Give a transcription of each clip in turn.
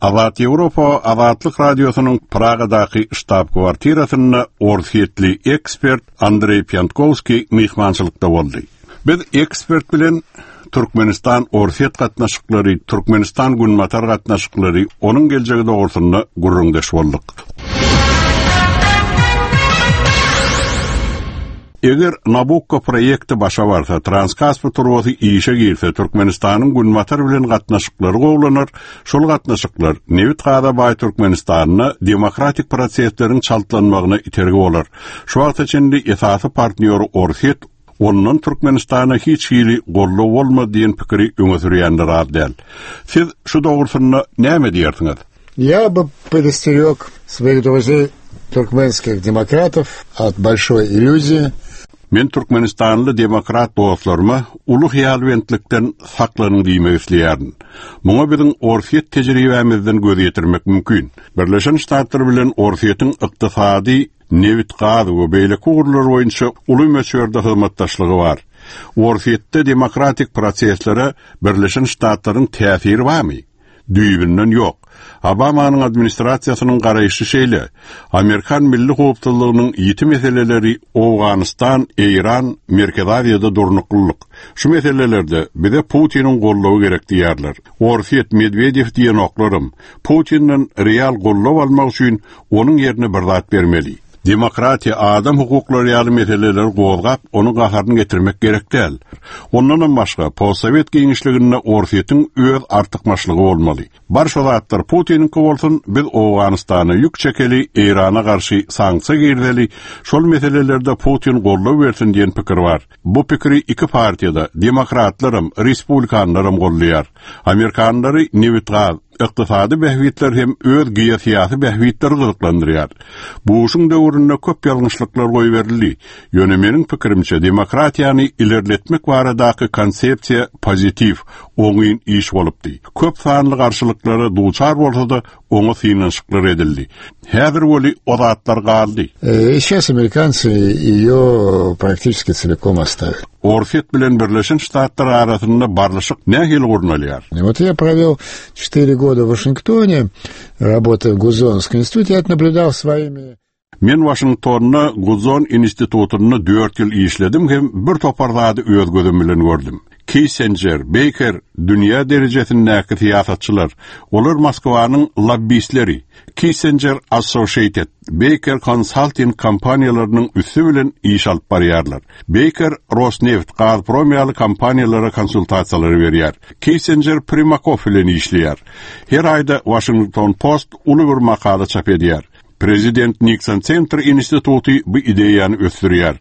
Azat Европа Азаттык радиосунун Прагадагы штаб-квартирасына орсиетли эксперт Андрей Пьянковский мейманчылыкта болду. Biz ekspert bilen Türkmenistan Orset gatnaşyklary, Türkmenistan Günmatar gatnaşyklary, onun geljegi dogrusyna gurrundaş boldyk. Eger Nabucco proyekti başa barsa, Transkaspi turbasy işe girse, Türkmenistanyň Günmatar bilen gatnaşyklary gowlanır. Şol gatnaşyklar Nevit Gadabay Türkmenistanyna demokratik proseslerin çaltlanmagyna itergi bolar. Şu wagt içinde esasy partneri Orset onun Türkmenistan'a hiç hili gollu olma diyen pikiri öňe sürýänler adel. Siz şu dogrusyna näme diýersiňiz? Я бы предостерег своих друзей туркменских демократов от большой иллюзии. Men Türkmenistanly demokrat dostlaryma ulu hyalwentlikden saklanyň diýmek isleýärdim. Muňa biziň Orset tejribemizden göz ýetirmek mümkin. Birleşen Ştatlar bilen Orsetyň ykdysady Nevit Gady we beýleki gurullar boýunça uly möçörde hyzmatdaşlygy bar. Orsetde demokratik proseslere Birleşen Ştatlaryň täsiri barmy? Düýbinden ýok. Obamanyň administrasiýasynyň garaýşy şeýle. Amerikan milli howpsuzlygynyň ýiti meseleleri Awganistan, Iran, Merkezi Aziýada durnuklyk. Şu meselelerde bize Putinin gollawy gerek diýerler. Orset Medvedev diýen oklarym Putinin real gollaw almak üçin onuň ýerine bir zat bermeli. Demokratiya, adam hukuklary ýaly meseleleri gowgap, onu gaharyn getirmek gerek däl. Ondan başga, postsovet giňişliginde Orsetyň öz artykmaçlygy bolmaly. Barşa zatlar Putin'inki bolsun, biz Awganistana ýük çekeli, Irana garşy sanksiýa girdeli, şol meselelerde Putin gollaw bersin diýen pikir bar. Bu pikiri iki partiýada, demokratlarym, respublikanlarym gollaýar. Amerikanlary Nevit Gady iqtisadi behwitler hem öz giýesiýasy behwitleri gyzyklandyrýar. Buuşun döwründe köp ýalňyşlyklar goý berildi. Ýöne meniň pikirimçe demokratiýany ilerletmek baradaky konsepsiýa pozitiv, oňyn iş bolupdy. Köp sanly garşylyklary duçar bolsa-da oňa synanşyklar edildi. Häzir boli ozatlar galdy. Сейчас американцы её практически целиком оставили. Orset bilen Birleşen Ştatlar arasynda barlyşyk nähil gurnalýar. Вот я провел 4 года в Вашингтоне, работая в Гудзонском институте, я наблюдал своими... Men Washingtonna Guzon institutyny 4 ýyl işledim hem bir topar zady öz gözüm bilen gördüm. Kissinger, Baker, dünýä derejesindäki siýasatçylar, olar Moskwanyň lobbistleri. Kissinger Associated, Baker Consulting kompaniýalarynyň üssü bilen iş alyp barýarlar. Baker Rosneft, Gazprom ýaly kompaniýalara konsultasiýalar berýär. Kissinger Primakov bilen işleýär. Her aýda Washington Post uly bir makala çap edýär. Prezident Nixon Center Institutu bu ideýany ösdürýär.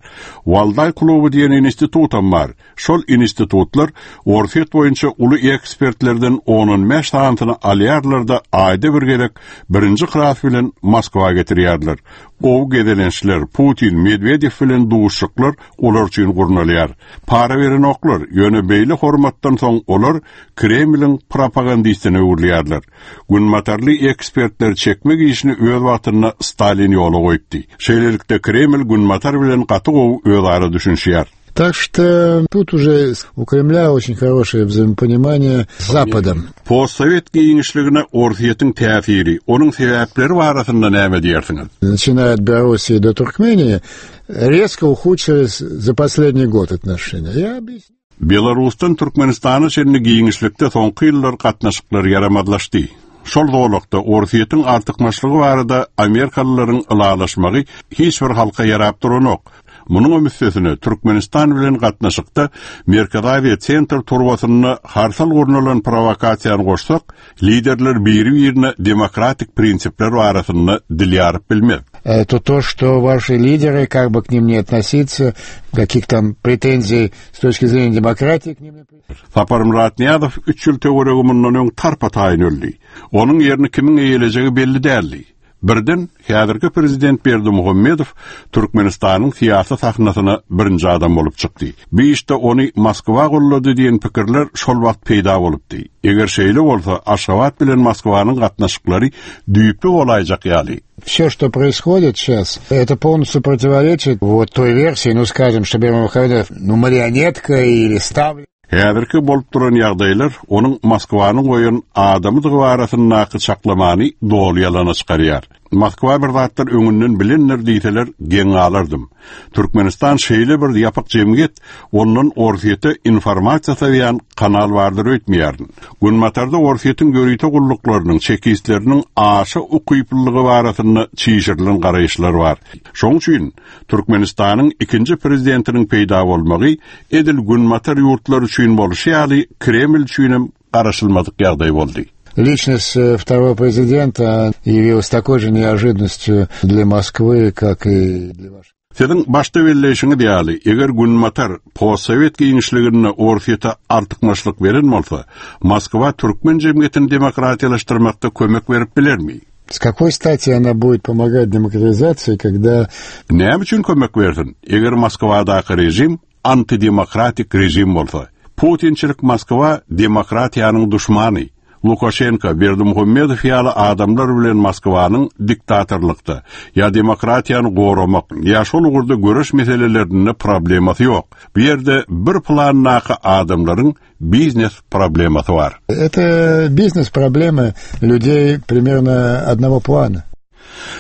Walday klubu diýen institutam bar. Şol institutlar Orset boýunça uly ekspertlerden onun meştahantyny alýarlar da aýda bir gerek birinji kras bilen Moskwa getirýärler. O gedelençler Putin, Medvedev bilen duşuklar olar üçin gurnalýar. Para beren oklar, ýöne beýle hormatdan soň olar Kremlin propagandistyny öwürlýärler. Günmatarly ekspertler çekmek işini öz wagtyna Stalin ýoly goýupdy. Şeýlelikde Kreml Günmatar bilen gaty gowy öz ara düşünýär. Так что тут уже у Кремля очень хорошее взаимопонимание с Западом. Постсовет giňişligine Orsetyň täsiri, onuň sebäpleri barasynda näme diýersiňiz? Начиная от Белоруссии до Туркмении, резко ухудшились за последний год отношения. Я объясню. Belarusdan Türkmenistana şeýle giňişlikde soňky ýyllar gatnaşyklar yaramadlaşdy. Şol dowlukda Orsetyň artykmaçlygy barada Amerikalılaryň ılalaşmagy hiç bir halka yarap duranok. Munyň ömüsesine Türkmenistan bilen gatnaşykda Merkezi Aziýa Center turbasyny harsal gurnulan provokasiýany goşsak, liderler biri-birine demokratik prinsipler barasynda dil ýaryp bilmez. То, что ваши лидеры, как бы к ним не относиться, каких там претензий с точки зрения демократии к ним не... Saparym Ratniýadow 3 ýyl töwereginden öň tarpa taýyn öldi. Onuň ýerini kimiň eýeljegi belli däldi. Birden häzirki prezident Berdimuhammedow Türkmenistanyň siýasat sahnasyna birinji adam bolup çykdy. Bu işde ony Moskwa gollady diýen pikirler şol wagt peýda bolupdy. Eger şeýle bolsa, Aşgabat bilen Moskwanyň gatnaşyklary düýpli bolaýjak ýaly. Все, что происходит сейчас, это полностью противоречит вот той версии, скажем, что Бердымухамедов, марионетка или ставлен. Häzirki bolup duran ýagdaýlar onuň Moskwanyň goýan adamdygy barasyny nakı çaklamany dolu ýalana çykarýar. Moskwa bir zatlar öňünden bilenler diýseler geň alardım. Türkmenistan şeýle bir ýapyk jemgyet, onuň orsiýete informasiýa säwýän kanal bardyr öýtmeýär. Günmatarda orsiýetiň görýte gullyklarynyň, çekisleriniň aşa ukyplylygy barasyny çiğişirilen garaýşlar bar. Şoň üçin Türkmenistanyň ikinji prezidentiniň peýda bolmagy edil günmatar ýurtlar üçin bolşy ýaly Kreml üçin garaşylmadyk ýagdaý boldy. Личность второго президента явилась такой же неожиданностью для Москвы, как и для Вашингтона. Senin başta belleşiňi diýaly, eger günmatar postsovet giňişligine orsiýete artykmaçlyk beren bolsa, Moskwa türkmen jemgyýetini demokratiýalaşdyrmakda kömek berip bilermi? С какой стати она будет помогать демократизации, когда... Näme üçin kömek bersin? Eger Moskwadaky rejim antidemokratik rejim bolsa, Putinçilik Moskwa demokratiýanyň düşmany. Lukashenko, Berdimuhammedow ýaly adamlar bilen Moskwanyň diktatorlykda ýa demokratiýany goramak ýa şol ugurda göreş meselelerinde problemasy ýok. Bu ýerde bir plannaky adamlaryň biznes problemasy bar. Это бизнес-проблемы людей примерно одного плана.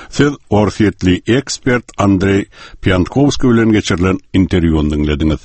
Siz orsiýetli ekspert Andrey Pyankovskiy bilen geçirilen interwýuny dinlediňiz.